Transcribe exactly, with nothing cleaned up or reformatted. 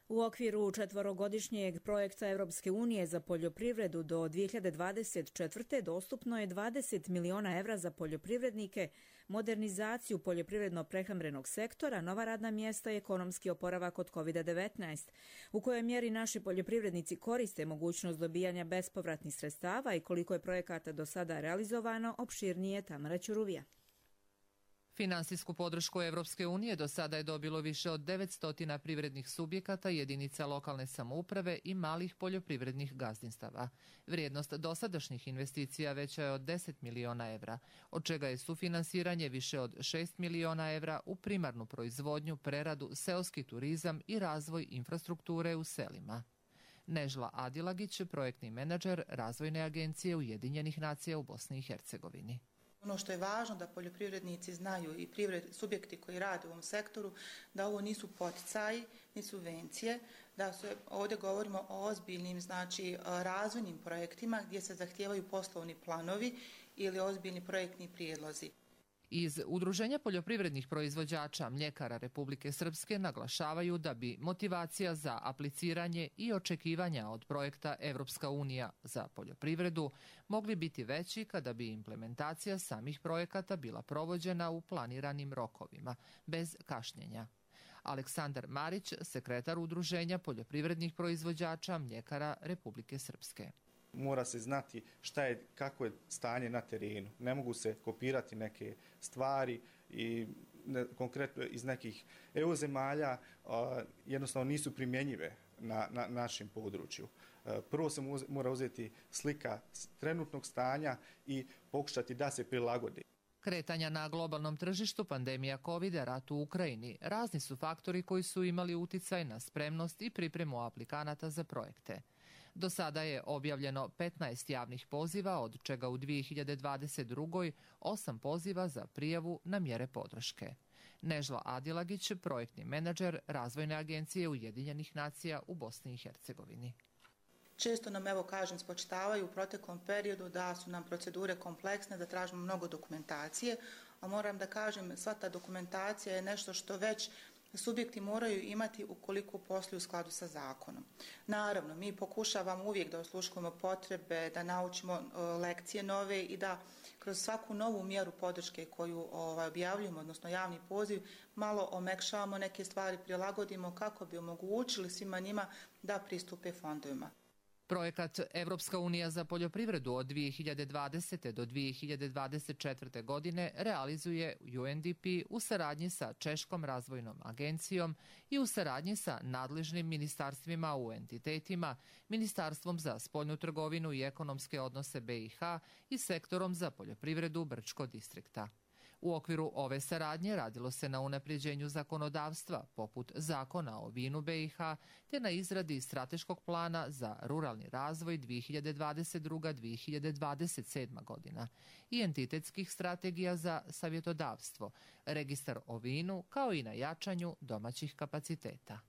U okviru četvorogodišnjeg projekta Europske unije za poljoprivredu do dvije hiljade dvadeset četvrte. dostupno je dvadeset miliona evra za poljoprivrednike, modernizaciju poljoprivredno-prehrambenog sektora, nova radna mjesta i ekonomski oporavak od kovid devetnaest. U kojoj mjeri naši poljoprivrednici koriste mogućnost dobijanja bespovratnih sredstava i koliko je projekata do sada realizovano, opširnije Tamara Ćuruvija. Finansijsku podršku Evropske unije do sada je dobilo više od devetsto privrednih subjekata, jedinica lokalne samouprave i malih poljoprivrednih gazdinstava. Vrijednost dosadašnjih investicija veća je od deset miliona evra, od čega je sufinansiranje više od šest miliona evra u primarnu proizvodnju, preradu, seoski turizam i razvoj infrastrukture u selima. Nežla Adilagić, projektni menadžer Razvojne agencije Ujedinjenih nacija u Bosni i Hercegovini. Ono što je važno da poljoprivrednici znaju i privred, subjekti koji rade u ovom sektoru, da ovo nisu poticaji, ni subvencije, da su, ovdje govorimo o ozbiljnim, znači razvojnim projektima gdje se zahtijevaju poslovni planovi ili ozbiljni projektni prijedlozi. Iz Udruženja poljoprivrednih proizvođača mljekara Republike Srpske naglašavaju da bi motivacija za apliciranje i očekivanja od projekta Evropska unija za poljoprivredu mogli biti veći kada bi implementacija samih projekata bila provođena u planiranim rokovima, bez kašnjenja. Aleksandar Marić, sekretar Udruženja poljoprivrednih proizvođača mljekara Republike Srpske. Mora se znati šta je, kako je stanje na terenu. Ne mogu se kopirati neke stvari i ne, konkretno iz nekih E U zemalja a, jednostavno nisu primjenjive na, na našem području. A, prvo se mora uzeti slika trenutnog stanja i pokušati da se prilagodi. Kretanja na globalnom tržištu, pandemija kovida, rat u Ukrajini, razni su faktori koji su imali uticaj na spremnost i pripremu aplikanata za projekte. Do sada je objavljeno petnaest javnih poziva, od čega u dvije hiljade dvadeset druge. osam poziva za prijavu na mjere podrške. Nežla Adilagić, projektni menadžer Razvojne agencije Ujedinjenih nacija u Bosni i Hercegovini. Često nam, evo kažem, spočitavaju u proteklom periodu da su nam procedure kompleksne, da tražimo mnogo dokumentacije, a moram da kažem, sva ta dokumentacija je nešto što već subjekti moraju imati ukoliko posluju u skladu sa zakonom. Naravno, mi pokušavamo uvijek da osluškujemo potrebe, da naučimo lekcije nove i da kroz svaku novu mjeru podrške koju ovaj, objavljujemo, odnosno javni poziv, malo omekšavamo neke stvari, prilagodimo kako bi omogućili svima njima da pristupe fondovima. Projekat Evropska unija za poljoprivredu od dvije hiljade dvadesete. do dvije hiljade dvadeset četvrte. godine realizuje U N D P u saradnji sa Češkom razvojnom agencijom i u saradnji sa nadležnim ministarstvima u entitetima, Ministarstvom za spoljnu trgovinu i ekonomske odnose B i H i sektorom za poljoprivredu Brčko distrikta. U okviru ove saradnje radilo se na unapređenju zakonodavstva, poput zakona o vinu B i H, te na izradi strateškog plana za ruralni razvoj dvije hiljade dvadeset druga. do dvije hiljade dvadeset sedma. godina i entitetskih strategija za savjetodavstvo, registar o vinu, kao i na jačanju domaćih kapaciteta.